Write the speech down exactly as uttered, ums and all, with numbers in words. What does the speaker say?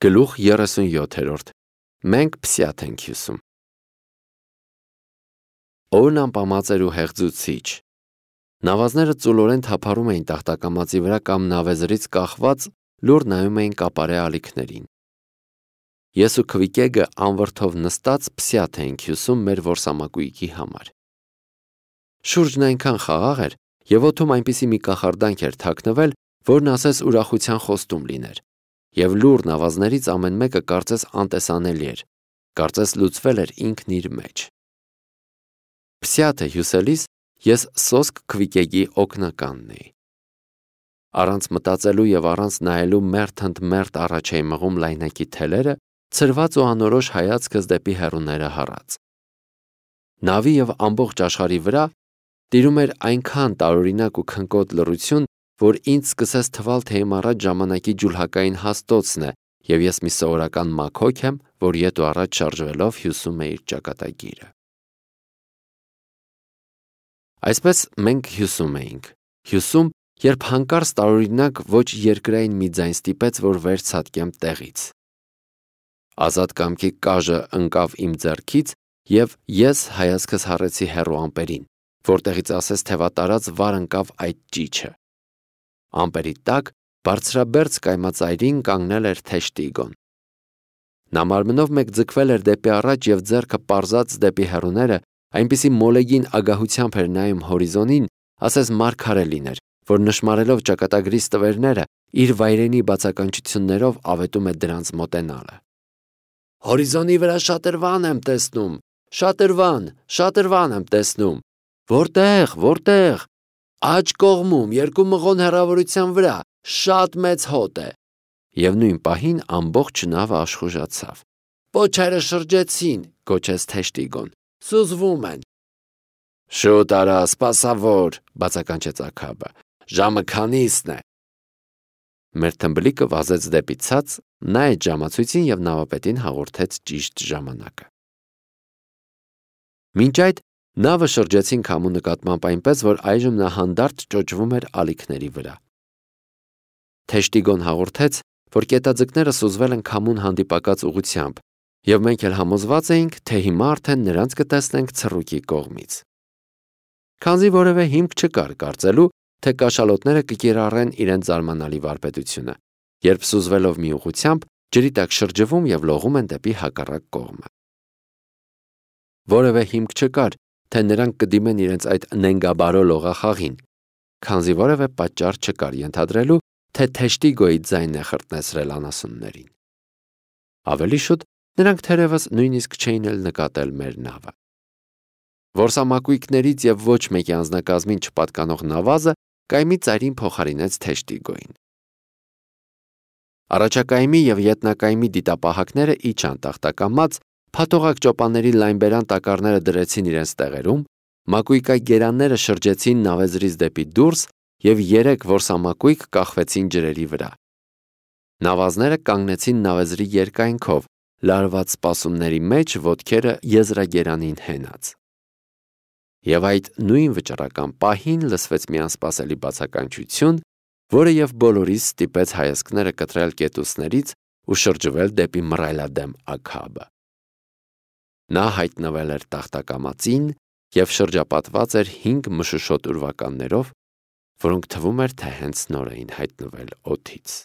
Գլուխ երեսունյոթերորդ Մենք փսյաթ ենք հյուսում։ Օրն անպամած էր ու հեղձուցիչ։ Նավազները ծուլորեն թափառում էին տախտակամածի վրա կամ նավեզրից կախված լուր նայում էին կապարե ալիքներին։ Ես ու Քվիկեգը անվրդով նստած փսյաթ էինք հյուսում մեր որսամակույկի համար։ Շուրջն այնքան խաղաղ էր և օդում այնպիսի մի կախարդանք էր թաքնվել, որն ասես ուրախության խոստում լիներ, և լուր նավազներից ամեն մեկը կարծես անտեսանելի էր, կարծես լուծվել էր ինքն իր մեջ։ Փսյաթը հյուսելիս ես սոսկ Քվիկեգի օգնականն էի։ Առանց մտածելու և առանց նայելու մերթ ընդ մերթ առաջ էի մղում լայնակի թելերը, ցրված ու անորոշ հայացքս դեպի հեռուները հառած։ Նավի և ամբողջ աշխարհի վրա տիրում էր այնքան տարօրինակ ու քնկոտ լռություն, որ ինձ սկսեց թվալ, թե իմ առաջ ժամանակի ջուլհակային հաստոցն է, և ես մի սովորական մաքոք եմ, որ ետ ու առաջ շարժվելով հյուսում է իր ճակատագիրը։ Այսպես մենք հյուսում էինք, հյուսում, երբ հանկարծ տարօրինակ ոչ երկրային մի ձայն ստիպեց, որ վերցատկեմ տեղից։ Ազատ կամքի կաժը ընկավ իմ ձեռքից, և ես հայացքս հառեցի հեռու ամպերին, որտեղից ասես թևատարած վար ընկավ այդ ճիչը։ Ամպերի տակ բարձրաբերձ կայմածայրին կանգնել էր Թեշտիգոն։ Նա մարմնով մեկ ձգվել էր դեպի առաջ և ձեռքը պարզած դեպի հեռուները այնպիսի մոլեգին ագահությամբ էր նայում հորիզոնին, ասես մարգարե լիներ, որ նշմարելով ճակատագրի ստվերները, իր վայրենի բացականչություններով ավետում է դրանց մոտենալը։ «Հորիզոնի վրա շատրվան եմ տեսնում, շատրվան, շատրվան եմ տեսնում։ Որտե՞ղ, որտե՞ղ։ Աջ կողմում, երկու մղոն հեռավորության վրա, շատ մեծ հոտ է»։ Եվ նույն պահին ամբողջ նավը աշխուժացավ։ «Պոչերը շրջեցին», գոչեց Թեշտիգոն, «սուզվում են»։ «Շուտ արա, սպասավոր», բացականչեց Աքաբը, «ժամը քանիսն է»։ Մեր թմբլիկը վազեց դեպի ցած, նայեց ժամացույցին և նավապետին հաղորդեց ճիշտ ժամանակը։ Մինչ այդ նավը շրջեցին քամու նկատմամբ այնպես, որ այժմ նա հանդարտ ճոճվում էր ալիքների վրա։ Թեշտիգոն հաղորդեց, որ կետաձկները սուզվել են քամուն հանդիպակաց ուղղությամբ, և մենք էլ համոզված էինք, թե հիմա արդեն նրանց կտեսնենք ցռուկի կողմից։ Քանզի որևէ հիմք չկար կարծելու, թե կաշալոտները կկիրառեն իրենց զարմանալի վարպետությունը, երբ սուզվելով մի ուղղությամբ ջրի տակ շրջվում և լողում են դեպի հակառակ կողմը։ Որևէ հիմք չկար, թե նրանք կդիմեն իրենց այդ նենգաբարո լողախաղին, քանզի որևէ պատճառ չկար ենթադրելու, թե Թեշտիգոյի ձայնն է խրտնեցրել անասուններին։ Ավելի շուտ նրանք թերևս նույնիսկ չէին էլ նկատել մեր նավը։ Որսամակույկներից և ոչ մեկի անձնակազմին չպատկանող նավազը կայմի ծայրին փոխարինեց Թեշտիգոյին։ Առաջակայմի և ետնակայմի դիտապահակները իջան տախտակամած, փաթողակ ճոպանների լայնբերան տակառները դրեցին իրենց տեղերում, մակույկագերանները շրջեցին նավեզրից դեպի դուրս և երեք որսամակույկ կախվեցին ջրերի վրա։ Նավազները կանգնեցին նավեզրի երկայնքով, լարված սպասումների մեջ, ոտքերը եզրագերանին հենած։ Եվ այդ նույն վճռական պահին լսվեց մի անսպասելի բացականչություն, որը և բոլորիս ստիպեց հայացքները կտրել կետուսներից ու շրջվել դեպի մռայլադեմ Աքաբը։ Նա հայտնվել էր տախտակամածին և շրջապատված էր հինգ մշուշոտ ուրվականներով, որոնք թվում էր, թե հենց նոր էին հայտնվել օդից։